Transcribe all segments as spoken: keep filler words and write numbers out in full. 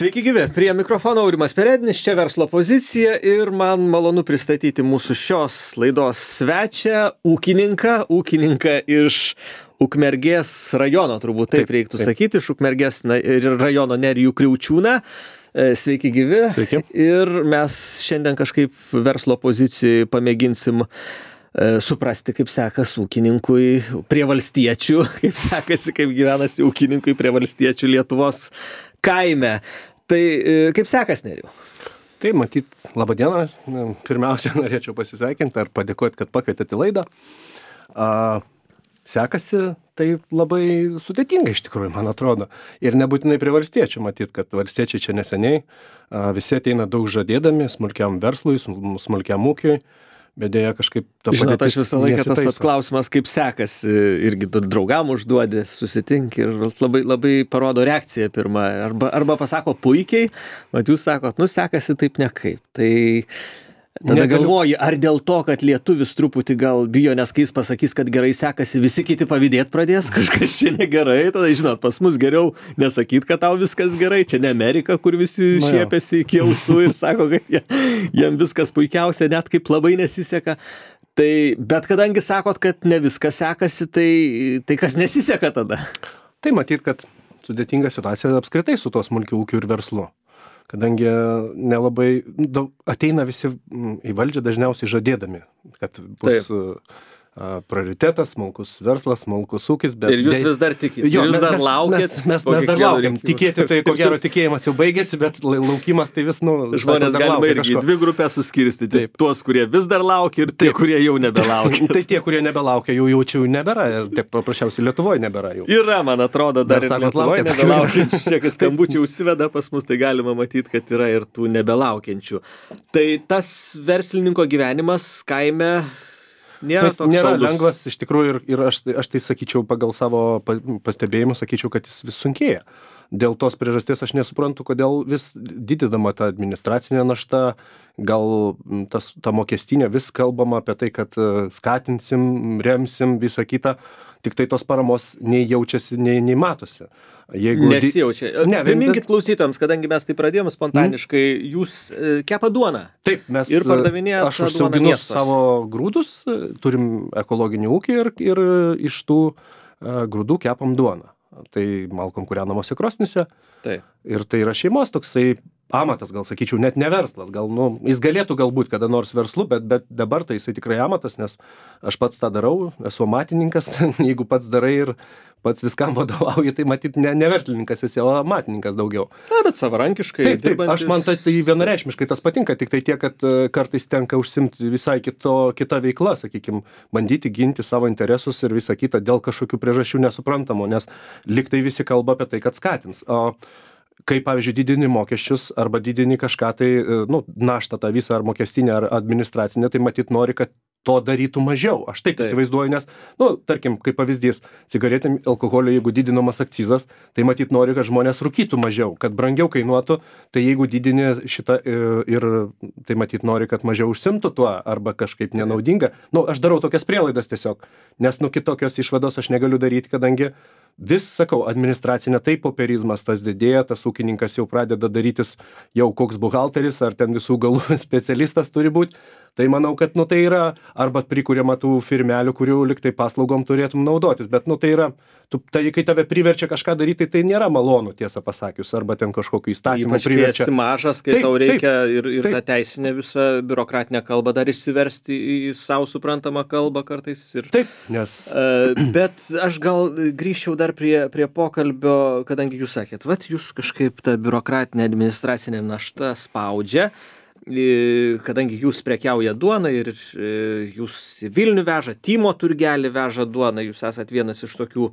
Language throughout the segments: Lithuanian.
Sveiki gyvi, prie mikrofono Aurimas Perednis, čia verslo pozicija ir man malonu pristatyti mūsų šios laidos svečią, ūkininką, ūkininką iš Ukmergės rajono, turbūt taip, taip reiktų taip. sakyti, iš Ukmergės rajono Nerijų Kriaučiūną. Sveiki gyvi. Sveiki. Ir mes šiandien kažkaip verslo pozicijoje pamėginsim suprasti, kaip sekas ūkininkui prie valstiečių, kaip sekasi, kaip gyvenasi ūkininkui prie valstiečių Lietuvos kaime. Tai kaip sekas, Nerijau? Tai matyt, labą dieną. Pirmiausia, norėčiau pasisveikinti ar padėkoti, kad pakvietėte į laidą. A, sekasi tai labai sudėtinga iš tikrųjų, man atrodo. Ir nebūtinai prie valstiečių, matyt, kad valstiečiai čia neseniai. A, visi ateina daug žadėdami smulkiam verslui, smulkiam ūkiui. Bet dėja kažkaip ta Žinot, padėtis aš visą laiką tas nesitaiso. klausimas, kaip sekasi, irgi draugam užduodi, susitinki ir labai, labai parodo reakciją pirmą. Arba, arba pasako puikiai, mat jūs sakot, nu sekasi taip nekaip. Tai tada Negaliu- galvoji, ar dėl to, kad lietuvis truputį gal bijo, nes kai jis pasakys, kad gerai sekasi, visi kiti pavydėt pradės, kažkas čia negerai, tada žinot, pas mus geriau nesakyt, kad tau viskas gerai, čia ne Amerika, kur visi Na jo. šiepiasi iki ausų ir sako, kad jie, jiem viskas puikiausia, net kaip labai nesiseka. Tai, bet kadangi sakot, kad ne viskas sekasi, tai, tai kas nesiseka tada? Tai matyt, kad sudėtinga situacija apskritai su tuo smulkiu ūkiu ir verslu. Kadangi nelabai daug, ateina visi mm, į valdžią dažniausiai žadėdami, kad bus a, prioritetas, smulkus verslas, smulkus ūkis. Bet Ir jūs dej- vis dar tikit, Jo, jūs mes- dar mes- laukit. Mes, mes, po mes dar kiekvienų laukiam. rinkimų. Tikėti tai, ko gero, tikėjimas jau baigėsi, bet lai- laukimas tai vis, nu... Žmonės sako, dar galima laukia irgi kažko. dvi grupės suskirstyti. Taip. Tuos, kurie vis dar laukia ir tie, Taip. kurie jau nebelaukia. Tai tie, kurie nebelaukia, jų jaučiau nebėra. Ir taip paprasčiausiai Lietuvoje nebėra jau. Yra, man atrodo, dar, Dar ir sakot, Lietuvoje laukiat? nebelaukiančių. Čia, kai skambučiai užsiveda pas mus, tai galima matyti, kad yra ir tų nebelaukiančių. Tai tas verslininko gyvenimas kaime nėra Jis toks nėra saldus. lengvas iš tikrųjų ir, ir aš, aš tai sakyčiau pagal savo pa- pastebėjimus, sakyčiau, kad jis vis sunkėja. Dėl tos priežasties aš nesuprantu, kodėl vis didinama ta administracinė našta, gal m, tas, ta mokestinė, vis kalbama apie tai, kad e, skatinsim, remsim visą kitą, tik tai tos paramos nei jaučiasi, nei, nei matosi. Jeigu di- Nesijaučia. Ne, Priminkit klausytams, kadangi mes tai pradėjome spontaniškai, jūs e, kepa duoną. Taip, mes Ir pardavinėjat aš tą duoną užsiauginu miestuose. savo grūdus, turim ekologinį ūkį ir, ir iš tų e, grūdų kepam duoną. Tai malkom kūrenamose krosnyse. Taip. Ir tai yra šeimos toksai amatas, gal sakyčiau, net ne verslas. Gal, nu, jis galėtų galbūt kada nors verslu, bet, bet dabar tai jisai tikrai amatas, nes aš pats tą darau, esu amatininkas, jeigu pats darai ir pats viskam vadovauji, tai matyt ne, ne verslininkas esi, o amatininkas daugiau. Na, bet savarankiškai. Taip, taip, aš man tai, tai vienareikšmiškai tas patinka, tik tai tiek, kad e, kartais tenka užsimti visai kito, kita veikla, sakykime, bandyti ginti savo interesus ir visą kitą dėl kažkokių priežasčių nesuprantamų, nes lyg tai visi kalba apie tai, kad skatins. O kai, pavyzdžiui, didini mokesčius arba didini kažką tai, e, nu, naštą tą visą ar mokestinę, ar administracinę, tai matyt nori, kad to darytų mažiau. Aš taip, Taip. įsivaizduoju, nes, nu, tarkim, kaip pavyzdys, cigaretėm, alkoholio, jeigu didinamas akcizas, tai matyt nori, kad žmonės rūkytų mažiau, kad brangiau kainuotų, tai jeigu didini šitą e, ir tai matyt nori, kad mažiau užsimtų tuo arba kažkaip nenaudinga. Nu, aš darau tokias prielaidas tiesiog, nes, nu, kitokios išvados aš negaliu daryti, kadangi vis, sakau, administracinė taip, popierizmas tas didėja, tas ūkininkas jau pradeda darytis jau koks buhalteris ar ten visų galų specialistas turi būti. Tai manau, kad, nu, tai yra arba prikuriama tų firmelių, kurių liktai paslaugom turėtum naudotis, bet, nu, tai yra, tu, tai, kai tave priverčia kažką daryti, tai nėra malonu, tiesą pasakius, arba ten kažkokiu įstatymu Ypač kai priverčia. esi mažas, kai Taip, tau reikia taip, ir, ir taip. tą teisinę visą biurokratinę kalbą dar išsiversti į savo suprantamą kalbą kartais. Ir, Taip, nes E, bet aš gal grįžčiau dar prie, prie pokalbio, kadangi jūs sakėt, vat jūs kažkaip tą biurokratinę administracinę naštą spaudžia, e, kadangi jūs prekiauja duoną ir e, jūs į Vilnių veža, Tymo turgelį veža duoną, jūs esat vienas iš tokių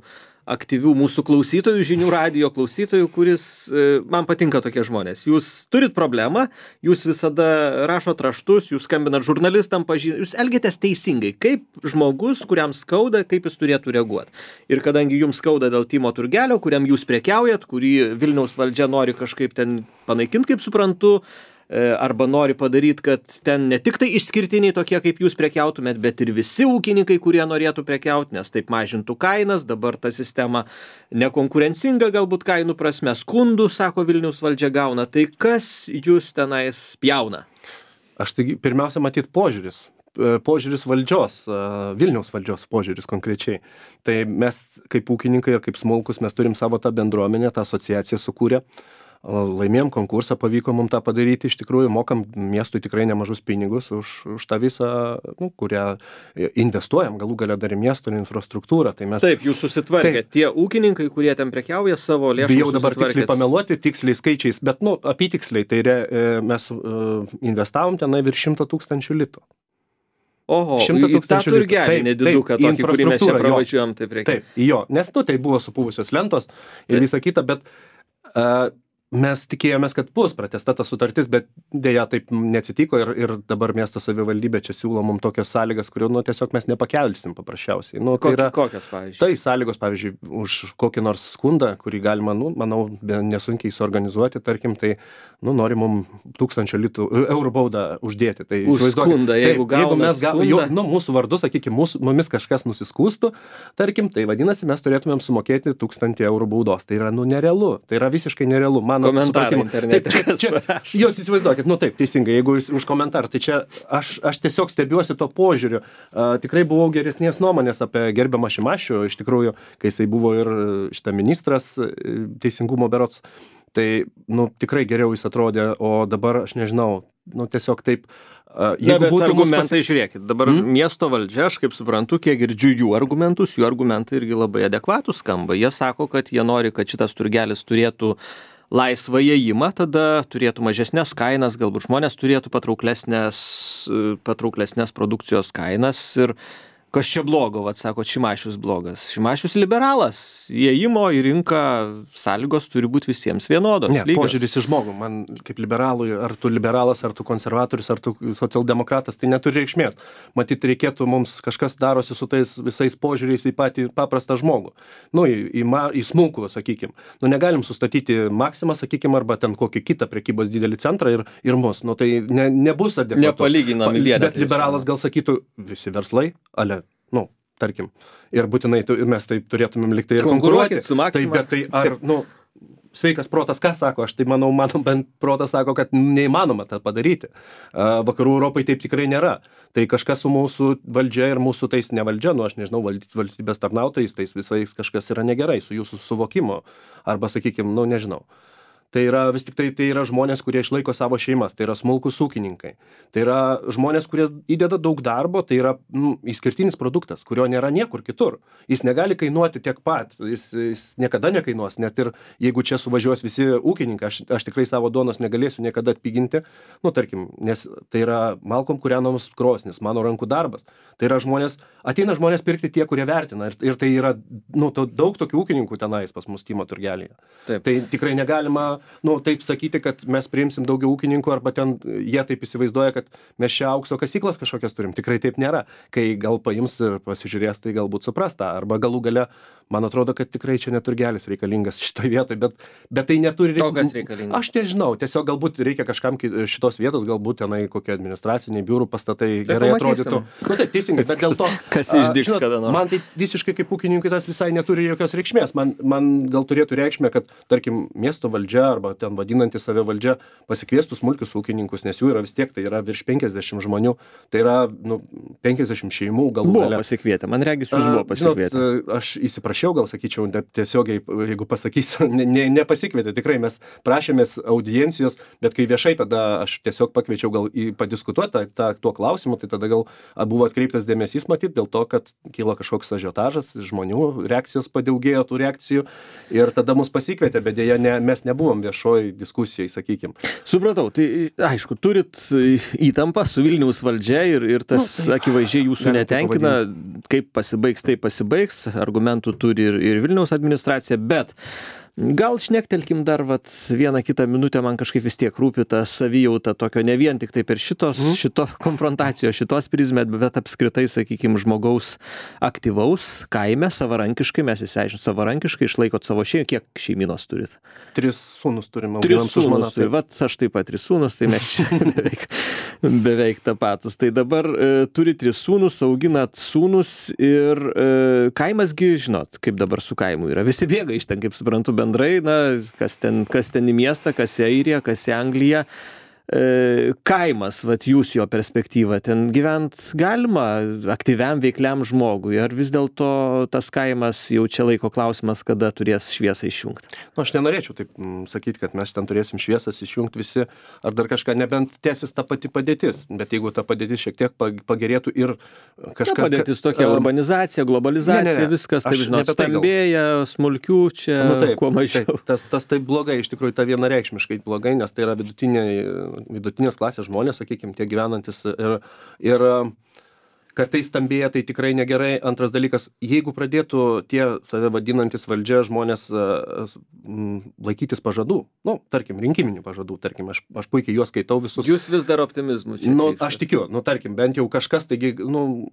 aktyvių mūsų klausytojų, žinių radijo klausytojų, kuris, e, man patinka tokie žmonės. Jūs turit problemą, jūs visada rašot raštus, jūs skambinat žurnalistam, pažin... jūs elgiatės teisingai, kaip žmogus, kuriam skauda, kaip jis turėtų reaguoti. Ir kadangi jums skauda dėl Tymo turgelio, kuriam jūs prekiaujat, kurį Vilniaus valdžia nori kažkaip ten panaikinti, kaip suprantu, arba nori padaryti, kad ten ne tik tai išskirtiniai tokie, kaip jūs prekiautumėt, bet ir visi ūkininkai, kurie norėtų prekiauti, nes taip mažintų kainas, dabar ta sistema nekonkurencinga galbūt kainų prasme, skundų, sako Vilniaus valdžia gauna, tai kas jūs tenais pjauna? Aš tai pirmiausia matyt požiūris. Požiūris valdžios, Vilniaus valdžios požiūris konkrečiai. Tai mes kaip ūkininkai ir kaip smulkus, mes turim savo tą bendruomenę, tą asociaciją sukūrę. Laimėjom konkursą, pavyko mums tą padaryti, iš tikrųjų mokam miestui tikrai nemažus pinigus už, už tą visą, nu, kurią investuojam, galų galia dar į miesto infrastruktūrą. Tai mes... Taip, jūs susitvarkėte. Tie ūkininkai, kurie ten prekiauja savo lėšų, bijau dabar tiksliai pameluoti, tiksliai skaičiais, bet nu, apytiksliai, tai re, mes uh, investavom tenai virš šimto tūkstančių litų. Oho, į tą turgelį nediduką tokį, kurį mes čia pravažiuojam, taip reikia. Taip, jo, nes nu, tai buvo supuvusios lentos ir taip. Visa kita, bet uh, mes tikėjomės, kad bus pratęsta ta sutartis, bet dėja taip neatsitiko ir, ir dabar miesto savivaldybė čia siūlo mums tokias sąlygas, kurių nu, tiesiog mes nepakelsim paprasčiausiai. Nu, tai yra, kokios, pavyzdžiui? Tai sąlygos, pavyzdžiui, už kokį nors skundą, kurį galima, nu, manau, nesunkiai suorganizuoti, tarkim, tai nu, nori mums tūkstančio litų, eurų baudą uždėti. Tai, už skundą, jeigu taip, jeigu mes ga, jau, nu, mūsų vardu, sakykime, mūsų, mumis kažkas nusiskūstų, tarkim, tai vadinasi, mes turėtumėm sumokėti tūkstantį eurų baudos. Tai yra, nu, nerealu. Tai yra visiškai nerealu. Man komentarai internete. Taip, čia, čia, jūs įsivaizduokit, nu taip, teisingai, jeigu jūs už komentarą, tai čia aš, aš tiesiog stebiuosi to požiūriu. Uh, tikrai buvau geresnės nuomonės apie gerbiamą Šimašių, iš tikrųjų, kai jisai buvo ir šitą ministras teisingumo berods, tai, nu, tikrai geriau jis atrodė, o dabar aš nežinau, nu, tiesiog taip. Uh, Na, bet argumentai, pas... žiūrėkit, dabar mm? miesto valdžia, aš kaip suprantu, kiek girdžiu jų argumentus, jų argumentai irgi labai adekvatus skamba. Jie sako, kad jie nori, kad šitas turgelis turėtų laisvą įėjimą, tada turėtų mažesnės kainas, galbūt žmonės turėtų patrauklesnės, patrauklesnės produkcijos kainas ir kas čia blogo, vat sako, Šimašius blogas. Šimašius liberalas, įėjimo į rinką sąlygos turi būti visiems vienodos. Ne, požiūris į žmogų, man kaip liberalui, ar tu liberalas, ar tu konservatorius, ar tu socialdemokratas, tai neturi reikšmės. Matyt, reikėtų mums kažkas darosi su tais visais požiūriais į patį paprastą žmogų. Nu, į, į, į smulkų, sakykim. Nu, negalim sustatyti Maksimą, sakykim, arba ten kokį kitą prekybos didelį centrą ir, ir mus. Nu, tai ne, nebus adekvatu. Nepalyginami vienetai. Bet liberalas gal sakytų, visi verslai, ale nu, tarkim, ir būtinai tu, mes taip turėtumėm likti ir konkuruoti. Su Maksima. Tai, bet tai, ar, nu, sveikas protas, ką sako? Aš tai manau, mano bent protas sako, kad neįmanoma tą padaryti. Vakarų Europai taip tikrai nėra. Tai kažkas su mūsų valdžia ir mūsų tais ne valdžia, nu, aš nežinau, valstybės tarnautojais, tais visais kažkas yra negerai su jūsų suvokimo. Arba, sakykime, nu, nežinau. Tai yra vis tik tai, tai yra žmonės, kurie išlaiko savo šeimas, tai yra smulkus ūkininkai. Tai yra žmonės, kurie įdeda daug darbo, tai yra nu, išskirtinis produktas, kurio nėra niekur kitur. Jis negali kainuoti tiek pat, jis, jis niekada nekainuos, net ir jeigu čia suvažiuos visi ūkininkai, aš, aš tikrai savo duonos negalėsiu niekada atpiginti, nu tarkim, nes tai yra malkom kūrenamos krosnis, mano rankų darbas. Tai yra žmonės, ateina žmonės pirkti tie, kurie vertina ir, ir tai yra nu, to, daug tokių ūkininkų tenais pas mus Tymo turgelėje. Taip. Tai tikrai negalima nu, taip sakyti, kad mes priimsim daugiau ūkininkų, arba ten jie taip įsivaizduoja, kad mes čia aukso kasyklas kažkokias turim. Tikrai taip nėra. Kai gal paims ir pasižiūrės, tai galbūt supras tą. Arba galų gale, man atrodo, kad tikrai čia neturgelis reikalingas šitoje vietoje, bet, bet tai neturi reikalingas. Aš nežinau, tiesiog galbūt reikia kažkam šitos vietos, galbūt tenai kokie administraciniai biurų pastatai tai gerai atrodytų. Nu taip, teisingai, bet dėl to, kas išdygs kada nors. Man tai visiškai kaip ūkininkui tas visai neturi jokios reikšmės. Man, man gal turėtų reikšmė, kad, tarkim, miesto valdžia arba ten vadinanti save valdžia pasikviestų smulkius ūkininkus, nes jų yra vis tiek, tai yra virš penkiasdešimt žmonių, tai yra nu, penkiasdešimt šeimų galų buvo gale. Pasikvietę, man regis jūs buvo pasikvietę. Žinot, aš įsiprašiau, gal sakyčiau, tiesiogiai, jeigu pasakysiu, ne, ne, nepasikvietė, tikrai mes prašėmės audiencijos, bet kai viešai tada aš tiesiog pakviečiau gal į padiskutuoti tą, tą, tuo klausimu, tai tada gal buvo atkreiptas dėmesys matyt dėl to, kad kilo kažkoks ažiotažas, žmonių reakcijos padaugėjo tų reakcijų ir tada mus pasikvietė, bet dėja ne, mes nebuvom viešoj diskusijai, sakykim. Supratau, tai aišku, turit įtampą su Vilniaus valdžia ir, ir tas nu, tai, akivaizdžiai jūsų netenkina, kaip pasibaigs, tai pasibaigs, argumentų turi ir, ir Vilniaus administracija, bet Gal šnektelkim dar vat vieną kitą minutę, man kažkaip vis tiek rūpi ta savijauta tokio ne vien tik tai per šitos, mm. šito konfrontacijos, šitos prizmę, bet apskritai, sakykime, žmogaus aktyvaus kaime, savarankiškai, mes įsiaiškinome, savarankiškai išlaikot savo šeimą, kiek šeiminos turit? Tris sūnus turime. Tris sūnus, tai vat aš taip pat tris sūnus, tai mes čia beveik, beveik tapatus. Tai dabar e, turi tris sūnus, auginat sūnus ir e, kaimasgi, žinot, kaip dabar su kaimu yra. Visi bėga iš ten, kaip suprantu, bendrai, na, kas ten, kas ten į miestą, kas į Airiją, kas į Angliją. E, kaimas, vat jūs jo perspektyva, ten gyvent galima aktyviam, veikliam žmogui, ar vis dėlto tas kaimas jau čia laiko klausimas, kada turės šviesą išjungti? Nu, aš nenorėčiau taip m, sakyti, kad mes ten turėsim šviesas išjungti visi, ar dar kažką, nebent tęsis ta pati padėtis, bet jeigu ta padėtis šiek tiek pagerėtų ir kažką... Ta padėtis tokia, um, urbanizacija, globalizacija, ne, ne, ne. Viskas, taip žinot, stambėja, smulkių čia nu, taip, kuo mažiau. Taip, tas, tas taip blogai, iš tikrųjų, ta vienareikšmiškai blogai, nes tai yra vidutiniai vidutinės klasės žmonės, sakykime, tie gyvenantis ir, ir kad tai stambėja, tai tikrai negerai. Antras dalykas, jeigu pradėtų tie save vadinantis valdžia žmonės m, laikytis pažadų, nu, tarkim, rinkiminių pažadų, tarkim, aš, aš puikiai juos skaitau visus. Jūs vis dar optimizmu čia. Nu, aš tikiu, nu, tarkim, bent jau kažkas, taigi, nu,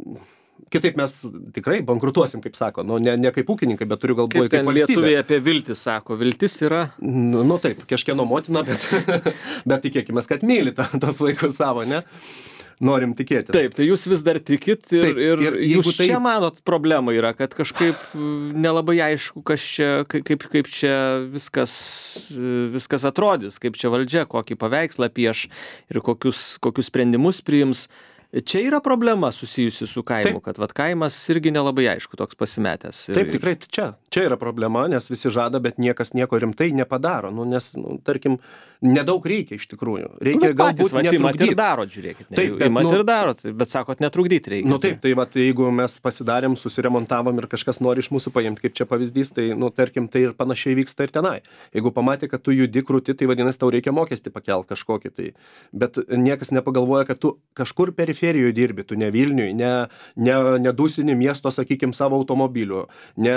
kitaip mes tikrai bankrutuosim, kaip sako, nu, ne, ne kaip ūkininkai, bet turiu galvoje kaip, kaip valstybė. Lietuviai apie viltį sako, viltis yra... Nu, nu taip, kažkieno motina, bet, bet tikėkime, kad myli ta, tos vaikus savo, ne? Norim tikėti. Taip, tai jūs vis dar tikit ir, taip, ir, ir jūs tai... čia manot problema yra, kad kažkaip nelabai aišku, kas čia, kaip, kaip čia viskas, viskas atrodys, kaip čia valdžia, kokį paveikslą pieš ir kokius, kokius sprendimus priims. Čia yra problema susijusi su kaimu, taip. Kad vat kaimas irgi nelabai aišku toks pasimetęs. Ir, taip, tikrai čia, čia yra problema, nes visi žada, bet niekas nieko rimtai nepadaro. Nu, nes, nu, tarkim, nedaug reikia iš tikrųjų. Reikia nu, galbūt patys, netrukdyti. Ir darot, žiūrėkit. Ne, taip, bet, imat nu, ir darot, bet sakot, netrukdyti reikia. Nu taip, tai vat, jeigu mes pasidarėm, susiremontavom ir kažkas nori iš mūsų paimti, kaip čia pavyzdys, tai, nu, tarkim, tai ir panašiai vyksta ir tenai. Jeigu pamatė, kad tu judi krūti, tai vadinasi, tau reikia mokestį pakelt kažkokį. Tai. Bet niekas nepagalvoja, kad tu kažkur periferijoje dirbi, tu ne Vilniui, ne, ne, nedusini miesto, sakykim, savo automobiliu, ne,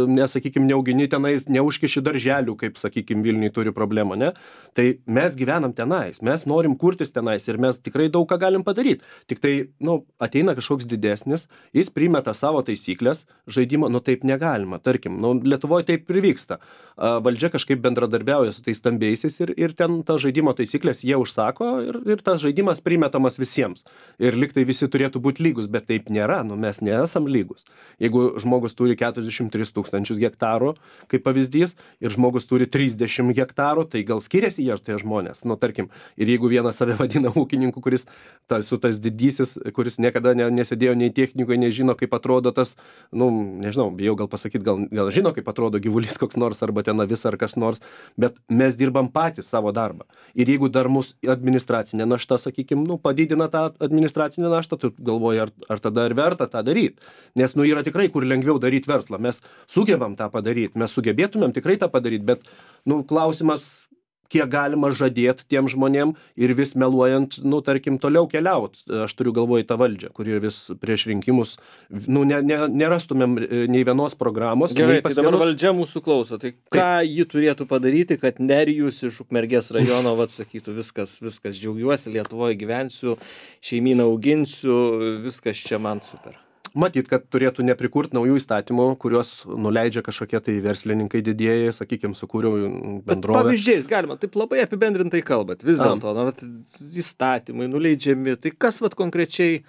ne sakykim, neaugini tenais, neužkiši darželių, kaip, sakykim, Vilniui turi problemą, ne? Tai mes gyvenam tenais, mes norim kurtis tenais ir mes tikrai daug ką galim padaryti. Tik tai, nu, ateina kažkoks didesnis, jis primeta savo taisyklės, žaidimo, nu taip negalima, tarkim, nu, Lietuvoje taip ir vyksta. Valdžia kažkaip bendradarbiauja su tais stambiaisiais ir, ir ten tas žaidimo taisyklės jie užsako ir, ir tas žaidimas primetamas visiems. Ir liktai visi turėtų būti lygus, bet taip nėra, nu mes nesam lygus. Jeigu žmogus turi keturiasdešimt tris tūkstančius hektarų, kaip pavyzdys, ir žmogus turi trisdešimt hektarų, tai gal skiriasi jie tie žmonės. Nu, tarkim, ir jeigu vienas save vadina ūkininku, kuris ta, su tas didysis, kuris niekada ne, nesėdėjo nei technikoje, nežino, kaip atrodo tas, nu, nežinau, bijau gal pasakyti, gal, gal žino, kaip atrodo gyvulys koks nors, arba ten avis ar kas nors, bet mes dirbam patys savo darbą. Ir jeigu dar mūsų administracinė našta, sakykime, nu, padidina tą administracinę naštą, tu galvoji, ar, ar tada ir verta tą daryti. Nes, nu, yra tikrai, kur lengviau daryti verslą. Mes sugebam tą padaryti, mes sugebėtumėm tikrai tą padaryti, bet, nu, klausimas, kiek galima žadėti tiem žmonėm ir vis meluojant, nu, tarkim, toliau keliaut. Aš turiu galvoje tą valdžią, kuri vis prieš rinkimus, nu, ne, ne, nerastumėm nei vienos programos. Gerai, tai dabar vienos... valdžia mūsų klauso. Tai ką Taip. Ji turėtų padaryti, kad Nerijus iš Ukmergės rajono vat sakytų, viskas, viskas, džiaugiuosi, Lietuvoje gyvensiu, šeimyną auginsiu, viskas čia man super. Matyt, kad turėtų neprikurt naujų įstatymų, kuriuos nuleidžia kažkokie tai verslininkai didieji, sakykime, sukūriau bendrovę. Bet pavyzdžiais galima, taip labai apibendrintai kalbat, vis dėlto, na, vat, įstatymai nuleidžiami, tai kas vat konkrečiai,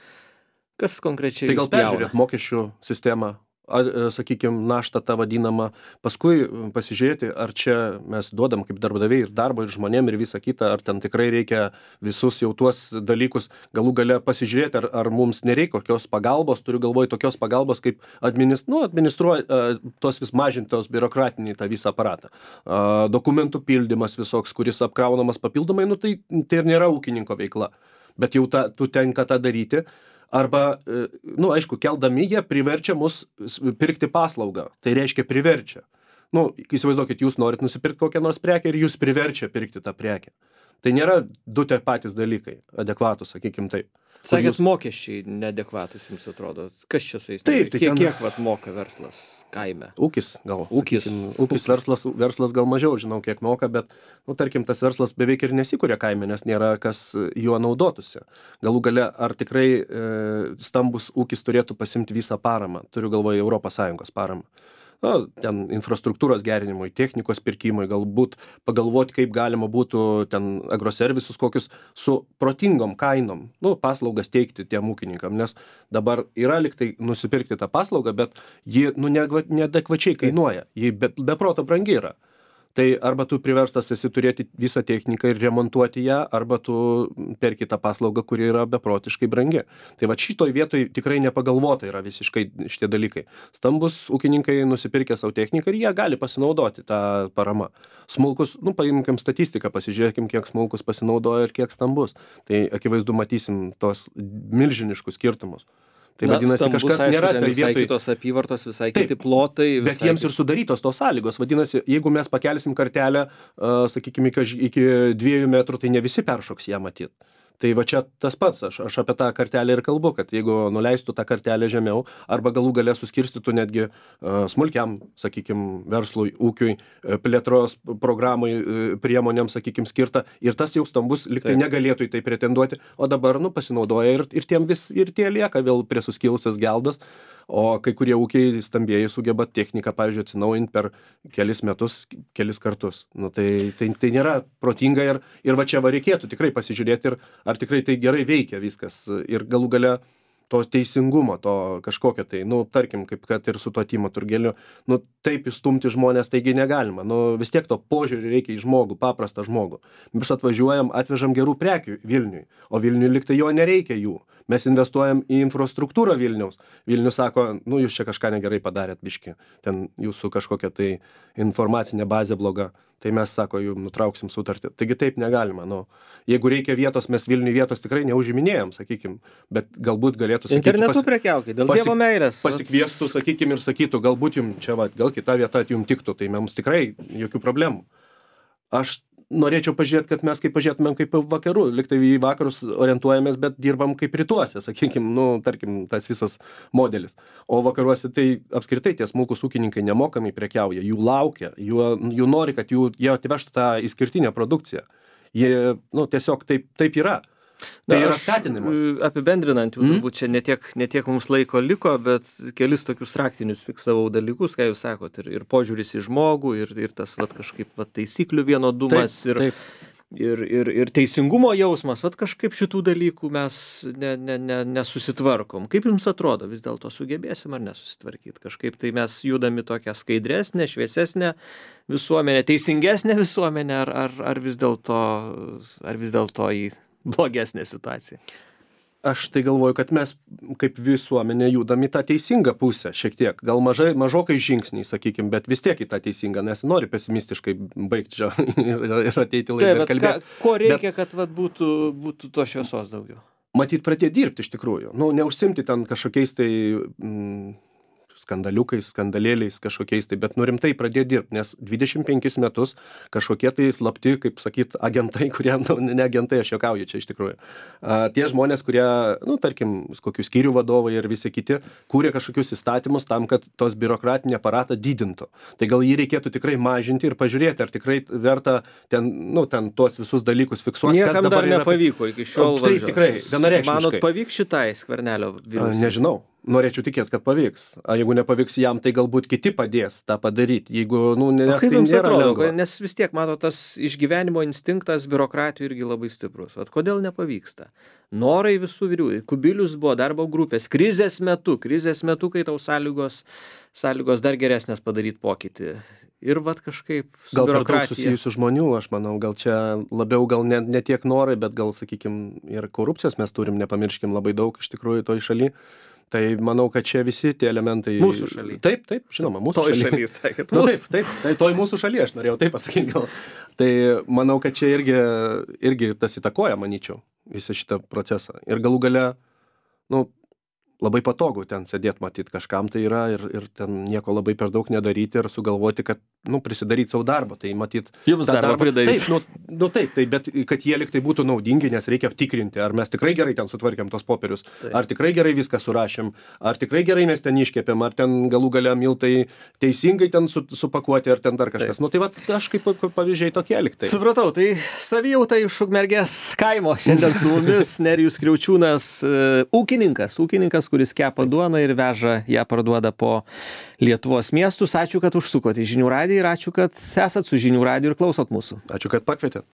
kas konkrečiai tai gal peržiūrėt mokesčių sistemą, ar, sakykime, naštą tą vadinamą, paskui pasižiūrėti, ar čia mes duodam kaip darbdaviai ir darbo, ir žmonėm, ir visą kitą, ar ten tikrai reikia visus jau tuos dalykus, galų gale pasižiūrėti, ar, ar mums nereikia kokios pagalbos, turiu galvoje tokios pagalbos, kaip administ, nu, administruoti, tos vis mažintos biurokratinį tą visą aparatą. A, dokumentų pildymas visoks, kuris apkraunamas papildomai, nu, tai, tai ir nėra ūkininko veikla, bet jau ta, tu tenka tą daryti. Arba, nu, aišku, keldami jie priverčia mus pirkti paslaugą. Tai reiškia priverčia. Nu, įsivaizduokit, jūs norit nusipirkti kokią nors prekę ir jūs priverčia pirkti tą prekę. Tai nėra du tie patys dalykai, adekvatus, sakykim taip. Sakėt, mokesčiai neadekvatus jums atrodo. Kas čia su jais? Taip, tai kiek, ten- kiek vat moka verslas kaime? Ūkis gal. Ūkis. sakykim, ūkis verslas, verslas gal mažiau, žinau, kiek moka, bet, nu, tarkim, tas verslas beveik ir nesikuria kaime, nes nėra kas juo naudotųsi. Galų gale, ar tikrai e, stambus ūkis turėtų pasimti visą paramą, turiu galvoje Europos Sąjungos paramą. Na, ten infrastruktūros gerinimui, technikos pirkimui, galbūt pagalvoti, kaip galima būtų ten agroservisus kokius su protingom kainom, nu, paslaugas teikti tiem ūkininkam, nes dabar yra liktai nusipirkti tą paslaugą, bet ji, nu, neadva- neadekvačiai kainuoja, ji be, be proto brangi yra. Tai arba tu priverstas esi turėti visą techniką ir remontuoti ją, arba tu perki tą paslaugą, kuri yra beprotiškai brangi. Tai va šitoj vietoj tikrai nepagalvota yra visiškai šitie dalykai. Stambus ūkininkai nusipirkė savo techniką ir jie gali pasinaudoti tą paramą. Smulkus, nu paimkim statistiką, pasižiūrėkim, kiek smulkus pasinaudoja ir kiek stambus. Tai akivaizdu matysim tos milžiniškus skirtumus. Tai Na, vadinasi, stambus, kažkas aišku, nėra ten toj visai vietoj. kitos apyvartos, visai Taip, kiti plotai. Bet visai jiems ir sudarytos tos sąlygos. Vadinasi, jeigu mes pakelsim kartelę, uh, sakykime, iki, iki dviejų metrų, tai ne visi peršoks ją matyt. Tai va čia tas pats, aš, aš apie tą kartelę ir kalbu, kad jeigu nuleistų tą kartelę žemiau, arba galų gale suskirstytų netgi uh, smulkiam, sakykime, verslui, ūkiui, uh, plėtros programai, uh, priemonėms, sakykime, skirta, ir tas jau stambus liktai Taip. negalėtų į tai pretenduoti, o dabar, nu, pasinaudoja ir, ir tiem vis, ir tie lieka vėl prie suskilusios geldos. O kai kurie ūkiai stambieji sugeba techniką, pavyzdžiui, atsinaujinti per kelis metus, kelis kartus. Nu, tai, tai, tai nėra protinga ir, ir va čia va reikėtų tikrai pasižiūrėti, ir, ar tikrai tai gerai veikia viskas. Ir galų gale to teisingumo, to kažkokio tai, nu, tarkim, kaip kad ir su tuo Timo Turgeliu, nu, taip įstumti žmonės taigi negalima. Nu, vis tiek to požiūrį reikia į žmogų, paprastą žmogų. Mes atvažiuojam, atvežam gerų prekių Vilniui, o Vilniui liktai jo nereikia jų. Mes investuojam į infrastruktūrą Vilniaus. Vilnius sako, nu, jūs čia kažką negerai padarėt, biški, ten jūsų kažkokia tai informacinė bazė bloga. Tai mes, sako, jums nutrauksim sutartį. Taigi taip negalima. Nu, jeigu reikia vietos, mes Vilniui vietos tikrai neužiminėjom, sakykim, bet galbūt galėtų sakyti... Internetu pasi... prekiaukit, dėl pasi- Dievo meilės. Pasikviestų, sakykim, ir sakytų, galbūt jums čia, va, gal kita vieta jums tiktų, tai mums tikrai jokių problemų. Aš norėčiau pažiūrėti, kad mes kaip pažiūrėtumėm kaip vakarų, liktai į vakarus orientuojamės, bet dirbam kaip rytuose, sakykim, nu, tarkim, tas visas modelis. O vakaruose tai apskritai tie smulkūs ūkininkai nemokamai prekiauja, jų laukia, jų, jų nori, kad jų, jie atvežtų tą išskirtinę produkciją. Jie, nu, tiesiog taip, taip yra. Tai Na, yra aš, skatinimas. e, Apibendrinant, jau Mhm. turbūt čia netiek, netiek mums laiko liko, bet kelis tokius raktinius fiksavau dalykus, ką jūs sakot, ir, ir požiūris į žmogų, ir, ir tas vat, kažkaip vat, taisyklių vienodumas, ir, taip. ir, ir, ir teisingumo jausmas, vat kažkaip šitų dalykų mes ne, ne, ne, nesusitvarkom. Kaip jums atrodo, vis dėlto sugebėsim ar nesusitvarkyti? Kažkaip tai mes judami tokią skaidresnę, šviesesnę visuomenę, teisingesnę visuomenę, ar, ar, ar vis dėlto, ar vis dėlto į blogesnė situacija? Aš tai galvoju, kad mes kaip visuomenė judam į tą teisingą pusę šiek tiek. Gal mažai, mažokai žingsniai, sakykim, bet vis tiek į tą teisingą, nes nori pesimistiškai baigti čia ir, ir ateiti Tai, laidą ir vat, ką, kalbėti. ko reikia, kad vat, būtų, būtų to šviesos daugiau? Matyt, pradėti dirbti iš tikrųjų. Nu, neužsimti ten kažkokiais tai mm, skandaliukais, skandalėliais kažkokiais tai, bet nu rimtai pradėti dirbti, nes dvidešimt penkis metus kažkokie tai slapti, kaip sakyt, agentai, kurie, nu, ne agentai, aš juokauju čia iš tikrųjų. A, tie žmonės, kurie, nu, tarkim, kokių skyrių vadovai ir visi kiti, kūrė kažkokius įstatymus tam, kad tos biurokratinį aparatą didintų. Tai gal jį reikėtų tikrai mažinti ir pažiūrėti, ar tikrai verta ten, nu, ten tuos visus dalykus fiksuoti. Niekam dar nepavyko iki šiol. Taip, valdžios. tikrai, vienareikšmiškai. Manot, pavyks šitai Skvernelio A, vyriausybei? Nežinau. Norėčiau tikėti, kad pavyks. A jeigu nepavyks jam, tai galbūt kiti padės tą padaryti. Jeigu, nu, nes O kaip tai jums nėra atrodo, lengva. nes vis tiek, mato, tas išgyvenimo instinktas biurokratijų irgi labai stiprus. Vat kodėl nepavyksta? Norai visų vyrių. Kubilius buvo darbo grupės krizės metu, krizės metu, kai tau sąlygos, sąlygos dar geresnės padaryti pokytį. Ir vat kažkaip su Gal per daug biurokratija. susijusių žmonių, aš manau, gal čia labiau, gal ne, ne tiek norai, bet gal, sakykim, ir korupcijos mes turim, nepamirškim, labai daug iš tikrųjų toj šaly. Tai manau, kad čia visi tie elementai... Mūsų šaly. Taip, taip, žinoma, mūsų Toj šaly. šaly, sakėt, Nu, mūsų. taip, taip, tai toj mūsų šaly, aš norėjau taip pasakyti gal. Tai manau, kad čia irgi, irgi tas įtakoja, manyčiau, visą šitą procesą. Ir galų gale, nu, labai patogu ten sėdėti, matyti kažkam tai yra ir, ir ten nieko labai per daug nedaryti ir sugalvoti, kad nu, prisidaryt savo darbo, tai matyt... Jums tą darbą pridaryt. Taip, nu, nu taip, tai, bet kad jie liktai būtų naudingi, nes reikia aptikrinti, ar mes tikrai gerai ten sutvarkėm tos popierius, Taip. ar tikrai gerai viską surašėm, ar tikrai gerai mes ten iškepėm, ar ten galų gale miltai teisingai ten su, supakuoti, ar ten dar kažkas. Taip. Nu tai va, aš kaip pavyzdžiai tokie liktai. Supratau, tai savijauta iš Ukmergės kaimo. Šiandien su mumis Nerijus Kriaučiūnas, e, ūkininkas, ūkininkas, kuris kepa duoną ir veža ją parduoda po Lietuvos miestus. Ačiū, kad užsukote į Žinių radiją ir ačiū, kad esat su Žinių radiju ir klausot mūsų. Ačiū, kad pakvietėt.